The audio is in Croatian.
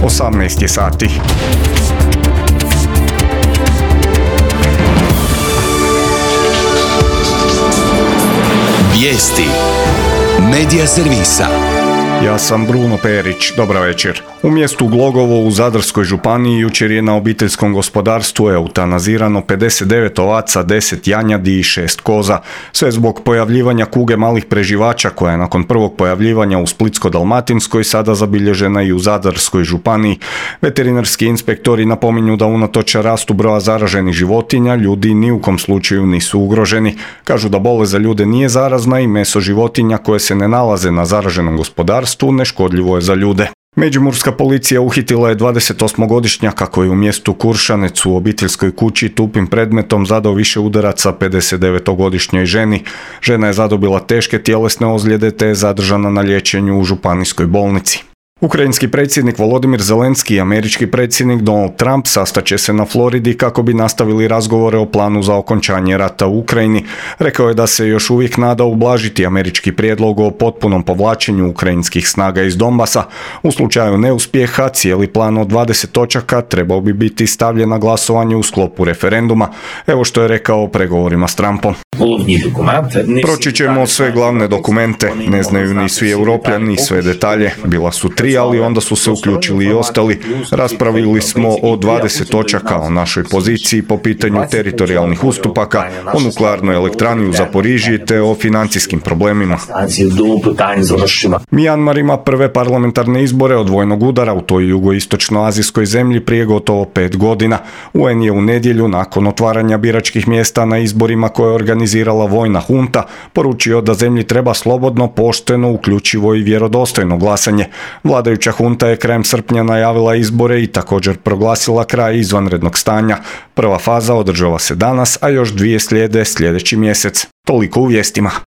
18 je sati. Vijesti Medija servisa. Ja sam Bruno Perić, dobar večer. U mjestu Glogovo u Zadarskoj županiji jučer je na obiteljskom gospodarstvu eutanazirano 59 ovaca, 10 janjadi i 6 koza. Sve zbog pojavljivanja kuge malih preživača koja je nakon prvog pojavljivanja u Splitsko-dalmatinskoj sada zabilježena i u Zadarskoj županiji. Veterinarski inspektori napominju da unatoč rastu broja zaraženih životinja ljudi ni u kom slučaju nisu ugroženi. Kažu da bolest za ljude nije zarazna i meso životinja koje se ne nalaze na zaraženom gospodarstvu neškodljivo je za ljude. Međimurska policija uhitila je 28-godišnjaka koji je u mjestu Kuršanec u obiteljskoj kući tupim predmetom zadao više udaraca 59-godišnjoj ženi. Žena je zadobila teške tjelesne ozljede te je zadržana na liječenju u županijskoj bolnici. Ukrajinski predsjednik Volodimir Zelenski i američki predsjednik Donald Trump sastaće se na Floridi kako bi nastavili razgovore o planu za okončanje rata u Ukrajini. Rekao je da se još uvijek nada ublažiti američki prijedlog o potpunom povlačenju ukrajinskih snaga iz Donbasa. U slučaju neuspjeha cijeli plan od 20 točaka trebao bi biti stavljen na glasovanje u sklopu referenduma. Evo što je rekao o pregovorima s Trumpom. Proći ćemo sve glavne dokumente, ne znaju ni svi Europljani ni sve detalje. Bila su 3, ali onda su se uključili i ostali. Raspravili smo o 20 točaka o našoj poziciji po pitanju teritorijalnih ustupaka, o nuklearnoj elektrani u Zaporižiji te o financijskim problemima. Mijanmar ima prve parlamentarne izbore od vojnog udara u toj jugoistočnoazijskoj zemlji prije gotovo 5 godina. UN je u nedjelju nakon otvaranja biračkih mjesta na izborima koje je organizirala vojna hunta poručio da zemlji treba slobodno, pošteno, uključivo i vjerodostojno glasanje. Vladajuća hunta je krajem srpnja najavila izbore i također proglasila kraj izvanrednog stanja. Prva faza održava se danas, a još 2 slijede sljedeći mjesec. Toliko u vijestima.